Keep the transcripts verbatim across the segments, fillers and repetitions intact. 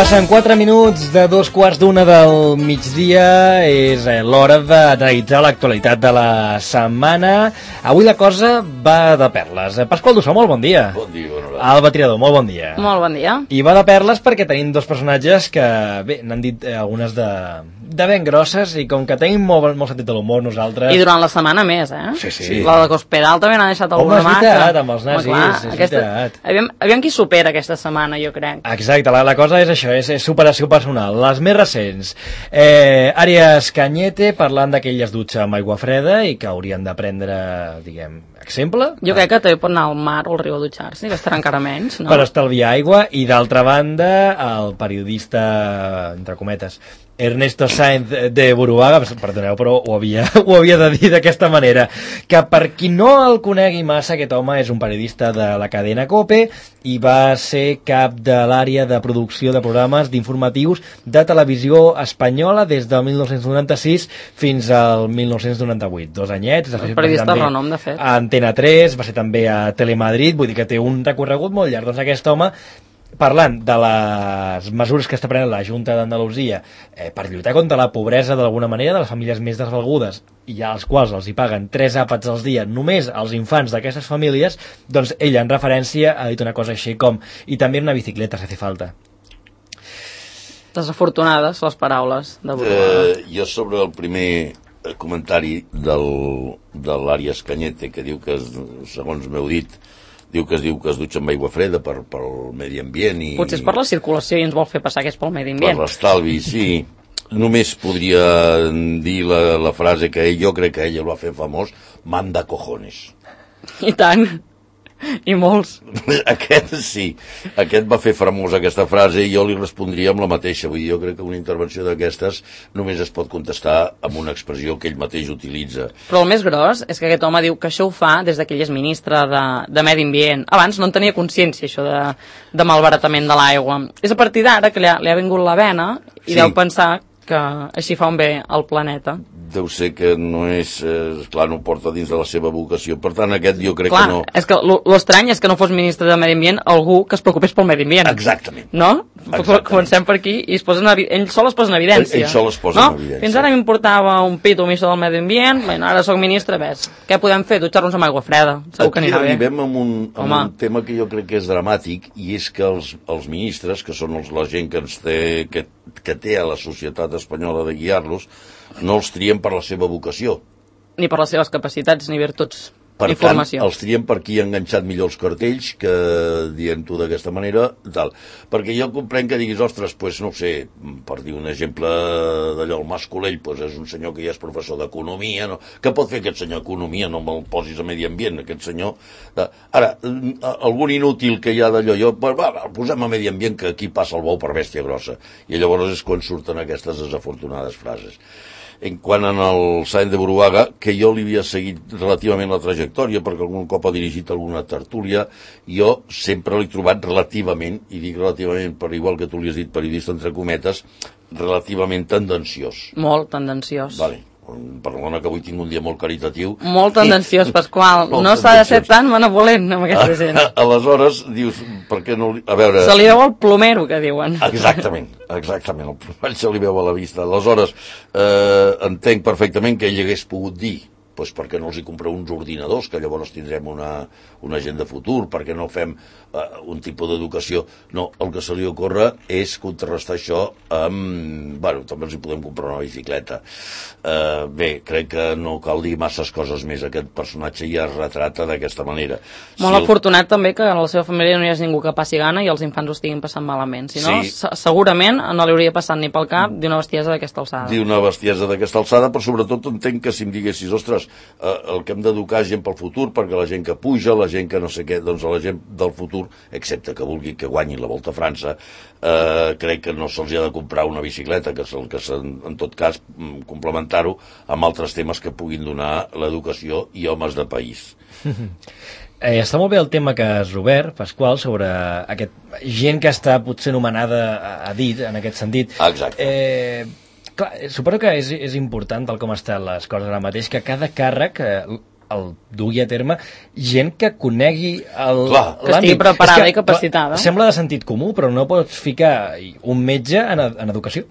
Passen quatre minuts de dos quarts d'una del migdia, és l'hora d'analitzar l'actualitat de la setmana. Avui la cosa va de perles. Pasqual Dussó, molt bon dia. Bon dia, bon dia. Alba Tirador, molt bon dia. Molt bon dia. I va de perles perquè tenim dos personatges que, bé, n'han dit eh, algunes de, de ben grosses, i com que tenim molt, molt sentit de l'humor nosaltres... I durant la setmana més, eh? Sí, sí. La de Cospedal també n'ha deixat alguna marca. Home, és veritat, amb els nazis, Home, clar, és aquesta... veritat. Aviam, aviam qui supera aquesta setmana, jo crec. Exacte, la, la cosa és això, és, és superació personal. Les més recents, eh, Àries Cañete parlant que ell es dutxa amb aigua freda i que haurien de prendre, diguem, exemple. Jo crec que també pot anar al mar o al riu a dutxar-se, que estarà encara menys, no? Per estalviar aigua. I d'altra banda, el periodista, entre cometes, Ernesto Sáenz de Buruaga, perdoneu, però ho havia, ho havia de dir d'aquesta manera, que per qui no el conegui massa, aquest home és un periodista de la cadena COPE i va ser cap de l'àrea de producció de programes d'informatius de televisió espanyola des del mil nou-cents noranta-sis fins al mil nou-cents noranta-vuit. Dos anyets. Un periodista de renom, de fet. A Antena tres, va ser també a Telemadrid, vull dir que té un recorregut molt llarg. Doncs aquest home, parlant de les mesures que està prenent la Junta d'Andalusia eh, per lluitar contra la pobresa d'alguna manera de les famílies més desvalgudes i als quals els hi paguen tres àpats al dia només als infants d'aquestes famílies, doncs ella en referència ha dit una cosa així com i també una bicicleta si hace falta. Desafortunades les paraules de Buruaga. Eh, jo sobre el primer comentari del, de l'Àries Cañete, que diu que, segons m'heu dit, diu que es diu que es dutxa amb aigua freda per, pel medi ambient i... Potser és per la circulació i ens vol fer passar que és pel medi ambient. Per l'estalvi, sí. Només podria dir la, la frase que jo crec que ella el va fer famós, manda cojones. I tant. I molts. Aquest sí, aquest va fer famosa aquesta frase i jo li respondria amb la mateixa. Vull dir, jo crec que una intervenció d'aquestes només es pot contestar amb una expressió que ell mateix utilitza. Però el més gros és que aquest home diu que això ho fa des que ell és ministre de, de Medi Ambient. Abans no en tenia consciència, això de, de malbaratament de l'aigua. És a partir d'ara que li ha, li ha vingut la vena i sí. Deu pensar que així fa un bé al planeta. Deu ser que no és... Eh, clar, no porta dins de la seva vocació. Per tant, aquest jo crec clar, que no... És que l'estrany és que no fos ministre de Medi Ambient algú que es preocupés pel Medi Ambient. Exactament. No? Exactament. Comencem per aquí i es posa en, ell sol es posa en evidència. Ell, ell sol es posa no? en evidència. Fins ara m'importava un pit o un del Medi Ambient, bueno, ara soc ministre, ves, què podem fer? Dutxar-nos amb aigua freda. Segur aquí que anirà bé. Aquí arribem amb, un, amb un tema que jo crec que és dramàtic i és que els, els ministres, que són els, la gent que, ens té, que, que té a la societat espanyola de guiar-los, no els trien per la seva vocació. Ni per les seves capacitats ni virtuts. Per Informació. tant, els trien per qui ha enganxat millor els cartells, que dient-ho d'aquesta manera, tal. Perquè jo comprenc que diguis, ostres, pues, no ho sé, per dir un exemple d'allò, el Mas Colell, pues, és un senyor que ja és professor d'economia, no? Què pot fer aquest senyor economia? No me'l posis a medi ambient, aquest senyor... Ara, algun inútil que hi ha d'allò, jo, pues, va, el posem a medi ambient, que aquí passa el bou per bèstia grossa. I llavors és quan surten aquestes desafortunades frases. En quant al Sáenz de Buruaga, que jo li havia seguit relativament la trajectòria, perquè algun cop ha dirigit alguna tertúlia, jo sempre l'he trobat relativament, i dic relativament per igual que tu li has dit periodista entre cometes, relativament tendenciós. Molt tendenciós. Vale. Perdona que avui tinc un dia molt caritatiu. Molt tendenciós, Pasqual. No s'ha de ser tan benevolent amb aquesta gent. Aleshores, dius, per què no... A veure... Se li veu el plomero, que diuen. Exactament, exactament, el plomall se li veu a la vista. Aleshores, eh, entenc perfectament que ell hagués pogut dir, doncs perquè no els hi compreu uns ordinadors, que llavors tindrem una, una gent de futur, perquè no fem eh, un tipus d'educació. No, el que se li ocorre és contrarrestar això amb... Bueno, també els hi podem comprar una bicicleta. Eh, bé, crec que no cal dir masses coses més. Aquest personatge ja es retrata d'aquesta manera. Molt si afortunat el... també que a la seva família no hi hagi ningú que passi gana i els infants ho estiguin passant malament. Si no, sí. segurament no li hauria passat ni pel cap d'una bestiesa d'aquesta alçada. D'una bestiesa d'aquesta alçada, però sobretot entenc que si em diguessis, ostres, eh, el que hem d'educar gent pel futur, perquè la gent que puja, la gent que no sé què, doncs a la gent del futur, excepte que vulgui que guanyin la Volta a França, eh, crec que no se'ls ha de comprar una bicicleta, que, que en tot cas complementar-ho amb altres temes que puguin donar l'educació i homes de país. Eh, està molt bé el tema que has obert, Pasqual, sobre aquest gent que està potser nomenada a, a dit, en aquest sentit. Exacte. Eh, clar, suposo que és, és important, tal com estan les coses ara mateix, que cada càrrec, eh, el dugui a terme gent que conegui el, Clar. Que estigui preparada i capacitada. Sembla de sentit comú, però no pots ficar un metge en, en educació,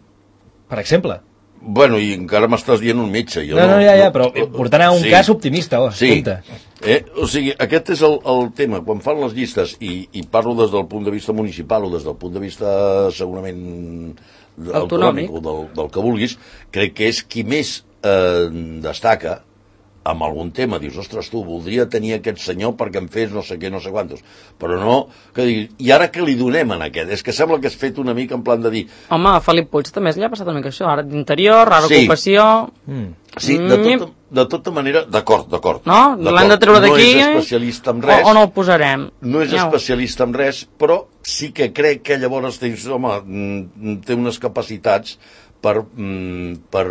per exemple. Bueno, i encara m'estàs dient un metge. Jo no, no, ja, ja, però portant a un sí. cas optimista, oh, sí. compte. Eh? O sigui, aquest és el, el tema. Quan fan les llistes, i, i parlo des del punt de vista municipal o des del punt de vista segurament autonòmic o del, del que vulguis, crec que és qui més eh, destaca amb algun tema, dius, ostres, tu, voldria tenir aquest senyor perquè em fes no sé què, no sé quantos, però no, que diguis, i ara què li donem en aquest? És que sembla que has fet una mica en plan de dir... Home, a Felip Puig també li ha passat una mica això, ara d'interior, ara sí. ocupació... Mm. Sí, de tota, de tota manera, d'acord, d'acord. No? L'hem de treure d'aquí no és especialista en res. O, o no el posarem. No és especialista en res, però sí que crec que llavors dius, home, té unes capacitats per, per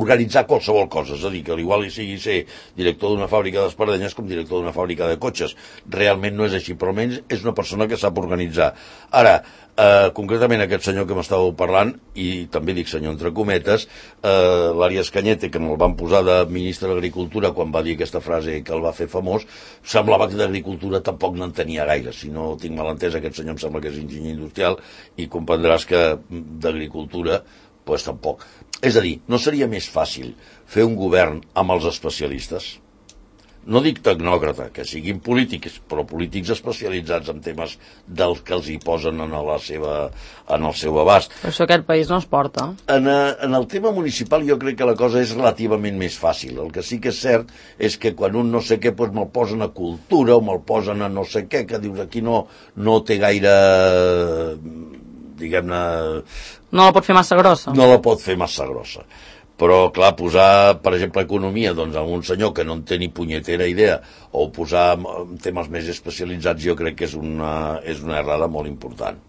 organitzar qualsevol cosa. És a dir, que igual hi sigui ser director d'una fàbrica d'espardenyes com director d'una fàbrica de cotxes. Realment no és així, però almenys és una persona que sap organitzar. Ara, eh, concretament aquest senyor que m'estàveu parlant, i també dic senyor entre cometes, eh, l'Àries Cañete, que me'l van posar de ministre d'Agricultura quan va dir aquesta frase que el va fer famós, semblava que d'Agricultura tampoc n'entenia gaire. Si no tinc mal entès, aquest senyor em sembla que és enginyer industrial i comprendràs que d'Agricultura pues tampoc. És a dir, no seria més fàcil fer un govern amb els especialistes? No dic tecnòcrata, que siguin polítics, però polítics especialitzats en temes dels que els hi posen en, la seva, en el seu abast. Per això aquest país no es porta. En, en el tema municipal jo crec que la cosa és relativament més fàcil. El que sí que és cert és que quan un no sé què pues me'l posen a cultura o me'l posen a no sé què, que dius aquí no, no té gaire... diguem-ne... No la pot fer massa grossa. No la pot fer massa grossa. Però, clar, posar, per exemple, economia, doncs, a un senyor que no en té ni punyetera idea, o posar temes més especialitzats, jo crec que és una, és una errada molt important.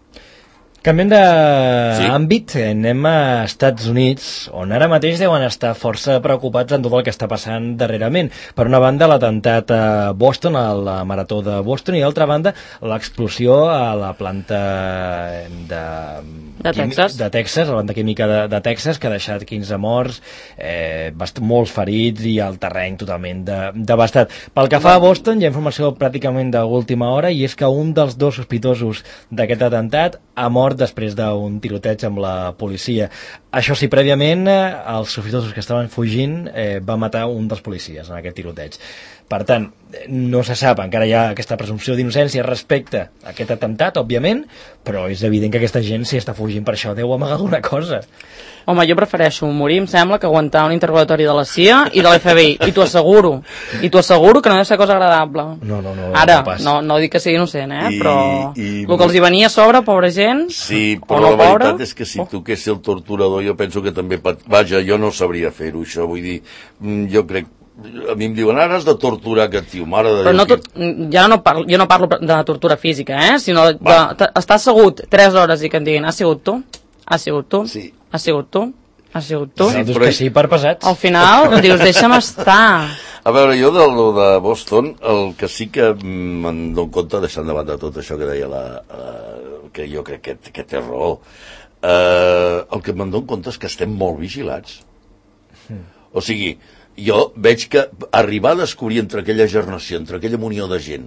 Canviem d'àmbit, sí. Anem a Estats Units, on ara mateix deuen estar força preocupats en tot el que està passant darrerament. Per una banda, l'atemptat a Boston, a la marató de Boston, i d'altra banda, l'explosió a la planta de... De Texas. De Texas, la planta química de, de Texas, que ha deixat quinze morts, eh, molts ferits i el terreny totalment de, devastat. Pel que fa a Boston, hi ha informació pràcticament d'última hora, i és que un dels dos sospitosos d'aquest atemptat ha mort després d'un tiroteig amb la policia. Això sí, prèviament, els sospitosos que estaven fugint eh, va matar un dels policies en aquest tiroteig. Per tant, no se sap, encara hi ha aquesta presumpció d'innocència respecte a aquest atemptat, òbviament, però és evident que aquesta gent, si està fugint per això, deu amagar alguna cosa. Home, jo prefereixo morir, em sembla, que aguantar un interrogatori de la C I A i de l'F B I, i t'ho asseguro, i t'ho asseguro que no deu ser cosa agradable. No, no, no. Ara, no, no, no dic que sigui innocent, eh, I, però i... el que els hi venia a sobre, pobra gent, sí, però no la veritat pobra... és que si toqués el torturador, jo penso que també... Pat... Vaja, jo no sabria fer-ho, això, vull dir, jo crec... A mi em diuen, ara has de torturar aquest tio, mare de Però Déu. no tot, ja no parlo, jo no parlo de tortura física, eh? Sinó de, de, estar assegut tres hores i que em diguin, has sigut tu? Has sigut tu? Sí. Has sigut tu? Has sigut tu? Sí, però... que sí, per pesats. Al final, dius, deixa'm estar. A veure, jo de, de Boston, el que sí que me'n dono compte, deixant de banda tot això que deia la... Uh, que jo crec que, que té raó, uh, el que me'n dono compte és que estem molt vigilats. Mm. O sigui... Jo veig que arribar a descobrir entre aquella gernació, entre aquella munió de gent,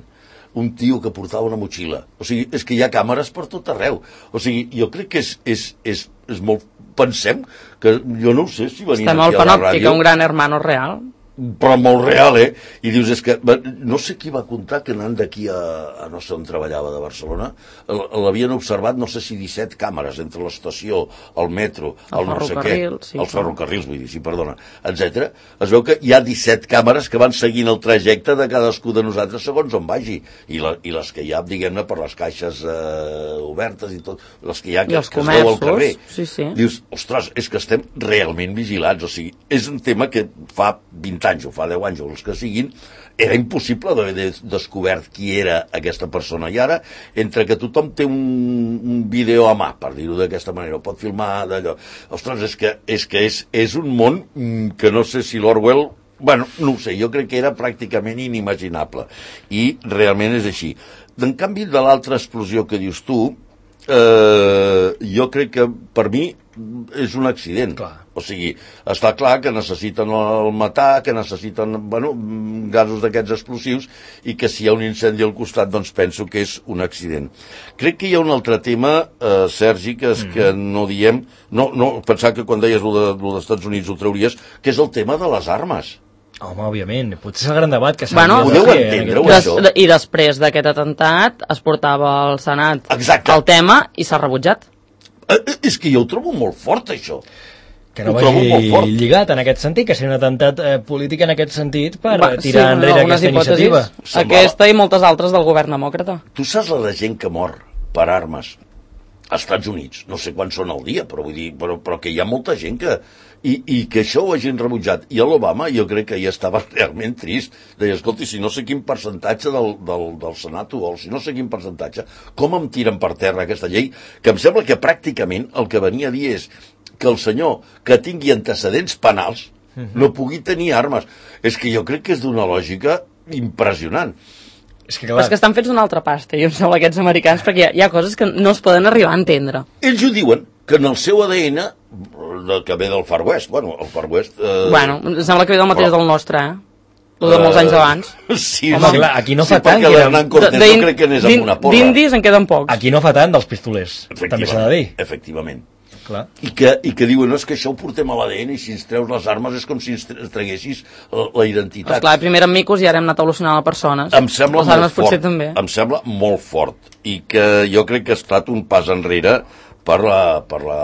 un tio que portava una motxilla. O sigui, és que hi ha càmeres per tot arreu. O sigui, jo crec que és, és, és, és molt... Pensem que... Jo no ho sé si venien aquí a la ràdio... Estem al panòptic, un gran hermano real. Però molt real, eh? I dius, és que... No sé qui va contar que anant d'aquí a, a no sé on treballava, de Barcelona, l'havien observat, no sé si disset càmeres entre l'estació, el metro, el, el no sé què, sí, els ferrocarrils, vull dir, sí, perdona, etcètera. Es veu que hi ha disset càmeres que van seguint el trajecte de cadascú de nosaltres segons on vagi. I, la, i les que hi ha, diguem-ne, per les caixes eh, obertes i tot, les que hi ha que, que es veu al carrer. Sí, sí. Dius, ostres, és que estem realment vigilats. O sigui, és un tema que fa vint anys o fa deu anys o els que siguin, era impossible d'haver descobert qui era aquesta persona. I ara, entre que tothom té un, un vídeo a mà, per dir-ho d'aquesta manera, o pot filmar d'allò, ostres, és que és, que és, és un món que no sé si l'Orwell... Bueno, no ho sé, jo crec que era pràcticament inimaginable. I realment és així. En canvi, de l'altra explosió que dius tu, eh, jo crec que, per mi, és un accident. Clar. O sigui, està clar que necessiten el matar, que necessiten, bueno, gasos d'aquests explosius, i que si hi ha un incendi al costat, doncs penso que és un accident. Crec que hi ha un altre tema, eh, Sergi, que és mm. que no diem, no, no, pensar que quan deies lo de, lo dels Estats Units ho trauries, que és el tema de les armes. Home, òbviament, potser és el gran debat que s'ha bueno, de fer. Entendre-ho, des, I després d'aquest atemptat es portava al Senat Exacte. el tema i s'ha rebutjat. Eh, és que jo ho trobo molt fort, això. Que no vagi lligat en aquest sentit, que sigui un atemptat eh, polític en aquest sentit per Va, tirar sí, enrere aquesta hipòtesis, iniciativa. Semblava... Aquesta i moltes altres del govern demòcrata. Tu saps la de gent que mor per armes als Estats Units? No sé quants són al dia, però vull dir, però, però que hi ha molta gent que... I, i que això ho hagin rebutjat. I a l'Obama jo crec que ja estava realment trist. Deia, escolti, si no sé quin percentatge del, del, del Senat ho vol, si no sé quin percentatge, com em tiren per terra aquesta llei? Que em sembla que pràcticament el que venia a dir és que el senyor que tingui antecedents penals no pugui tenir armes. És que jo crec que és d'una lògica impressionant. És que, clar... Però és que estan fets una altra pasta, jo em sembla, aquests americans, perquè hi ha, hi ha coses que no es poden arribar a entendre. Ells ho diuen, que en el seu A D N, que ve del Far West, bueno, el Far West... Eh... Bueno, em sembla que ve del mateix però... del nostre, eh? El de molts anys abans. Sí, home, sí, clar, aquí no fa sí, tant. Perquè l'Hernán Cortés no crec que anés amb una porra. D'indis en queden pocs. Aquí no fa tant dels pistolers, també s'ha de dir. Efectivament. Clar. I que, i que diuen, no, és que això ho portem a l'A D N i si ens treus les armes és com si ens traguessis la, la identitat. Esclar, primer eren micos i ara hem anat evolucionant a persones. Em sembla les armes molt fort, també. Em sembla molt fort i que jo crec que ha estat un pas enrere per la, per la,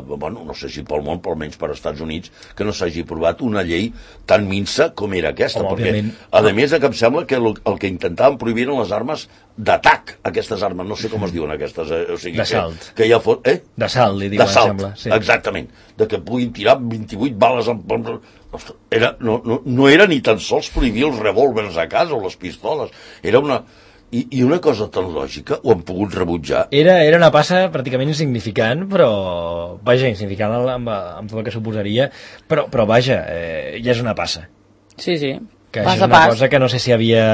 bueno, no sé si pel món, però almenys per als Estats Units, que no s'hagi aprovat una llei tan minsa com era aquesta, Home, perquè, òbviament. a més, que em sembla que el, el que intentaven prohibir eren les armes d'atac, aquestes armes, no sé com es diuen aquestes, eh? O sigui, d'assalt. Que, que ja fos, eh? D'assalt, li diuen, d'assalt, sembla. Sí. Exactament, de que puguin tirar vint-i-vuit bales en... Era, no, no, no era ni tan sols prohibir els revòlvers a casa o les pistoles, era una... I, I una cosa tan lògica ho han pogut rebutjar. Era, era una passa pràcticament insignificant, però, vaja, insignificant amb, amb tot el que suposaria, però, però vaja, eh, ja és una passa. Sí, sí. Que pas és una pas. cosa que no sé si havia,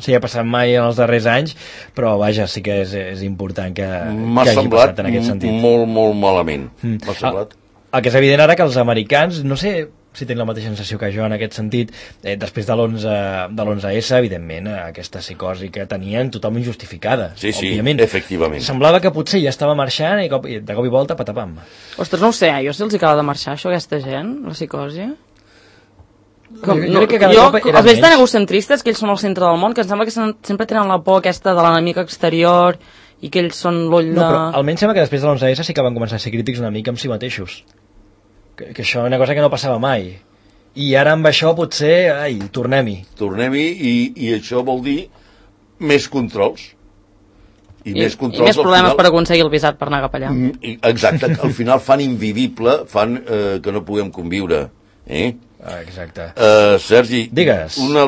si havia passat mai en els darrers anys, però vaja, sí que és, és important que, que hagi passat en aquest sentit. M'ha semblat molt, molt malament. Mm. M'ha semblat. El, el que és evident ara que els americans, no sé si tenen la mateixa sensació que jo en aquest sentit, eh, després de l'onze esse, evidentment, eh, aquesta psicosi que tenien totalment justificada. Sí, sí, òbviament. efectivament. Semblava que potser ja estava marxant i, cop, i de cop i volta patapam. Ostres, no ho sé, jo si els acaba de marxar això, aquesta gent, la psicosi... Com, jo, no, jo, que cada jo cop els veig tan egocentristes que ells són el centre del món, que em sembla que sempre tenen la por aquesta de l'enemic exterior i que ells són l'ull de... No, però almenys sembla que després de l'onze esse sí que van començar a ser crítics una mica amb si mateixos. Que, que això és una cosa que no passava mai. I ara amb això potser, ai, tornem-hi. Tornem-hi i, i això vol dir més controls. I, I, més, controls, i més problemes final, per aconseguir el visat per anar cap allà. Exacte, al final fan invivible, fan eh, que no puguem conviure. Eh? Ah, exacte. Uh, Sergi, digues. Una,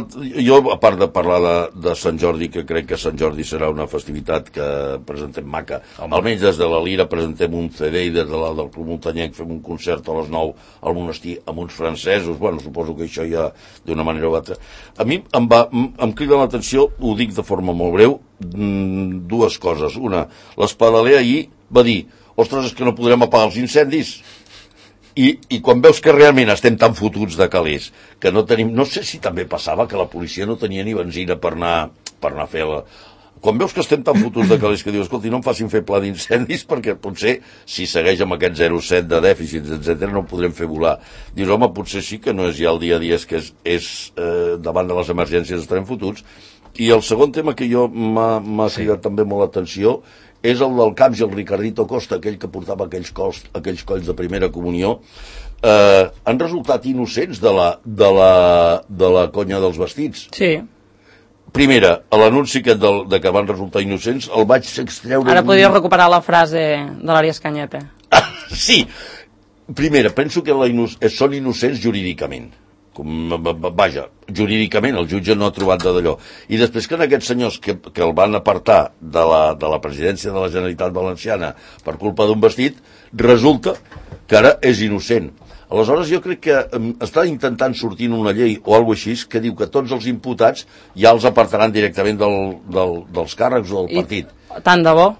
jo, a part de parlar de, de Sant Jordi, que crec que Sant Jordi serà una festivitat que presentem maca, Home. almenys des de la Lira presentem un C D i des de la, del Club Muntanyenc fem un concert a les nou al monestir amb uns francesos, bueno, suposo que això ja d'una manera o altra. A mi em, va, em crida l'atenció, ho dic de forma molt breu, dues coses. Una, l'Espadaler ahir va dir, ostres, és que no podrem apagar els incendis. I, i quan veus que realment estem tan fotuts de calés que no tenim, no sé si també passava que la policia no tenia ni benzina per anar, per anar a fer la... Quan veus que estem tan fotuts de calés que dius, escolti, no em facin fer pla d'incendis perquè potser si segueix amb aquest zero coma set de dèficits, etcètera, no podrem fer volar. Dius, home, potser sí que no és ja el dia a dia, és que és, és eh, davant de les emergències estarem fotuts. I el segon tema que jo m'ha sí. cridat també molt l'atenció és el del Camps i el Ricardito Costa, aquell que portava aquells colls, aquells colls de primera comunió, eh, han resultat innocents de la, de, la, de la conya dels vestits. Sí. Primera, a l'anunci aquest del, de que van resultar innocents, el vaig extreure... Ara podries un... recuperar la frase de l'Àries Canyete. Ah, sí. Primera, penso que la inno... són innocents jurídicament. Com, vaja, jurídicament el jutge no ha trobat d'allò. I després que en aquests senyors que, que el van apartar de la, de la presidència de la Generalitat Valenciana per culpa d'un vestit, resulta que ara és innocent. Aleshores jo crec que um, està intentant sortir una llei o alguna cosa així que diu que tots els imputats ja els apartaran directament del, del, dels càrrecs o del partit. I tant de bo?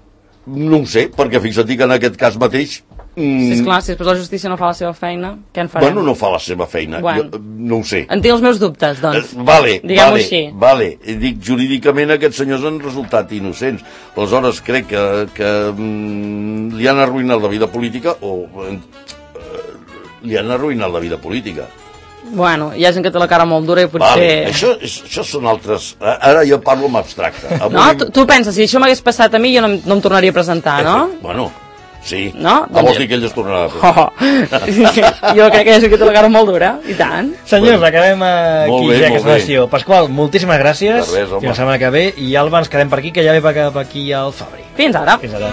No ho sé, perquè fixa't que en aquest cas mateix Mm. Sí, esclar, si després la justícia no fa la seva feina, què en farem? Bueno, no fa la seva feina, Bueno. jo, no ho sé. En tinc els meus dubtes, doncs. Eh, vale, Diguem-ho vale, així. vale. Dic, jurídicament aquests senyors han resultat innocents. Aleshores, crec que, que mm, li han arruïnat la vida política o eh, li han arruïnat la vida política. Bueno, hi ha gent que té la cara molt dura i potser... Vale, això, és, això són altres... Ara jo parlo amb abstracte. Avui... No? Tu, tu penses, si això m'hagués passat a mi jo no, em- no em tornaria a presentar, no? Bueno, sí. No? Ah, vols dir que ell es tornarà a presentar. Oh, jo crec que hi ha gent que té la cara molt dura, i tant. Senyors, Bueno, acabem aquí molt bé, ja molt aquesta bé. sessió. Pasqual, moltíssimes gràcies. De res, home. Fins la setmana que ve. I Alba, ens quedem per aquí, que ja ve cap aquí al Fabri. Fins ara. Fins ara.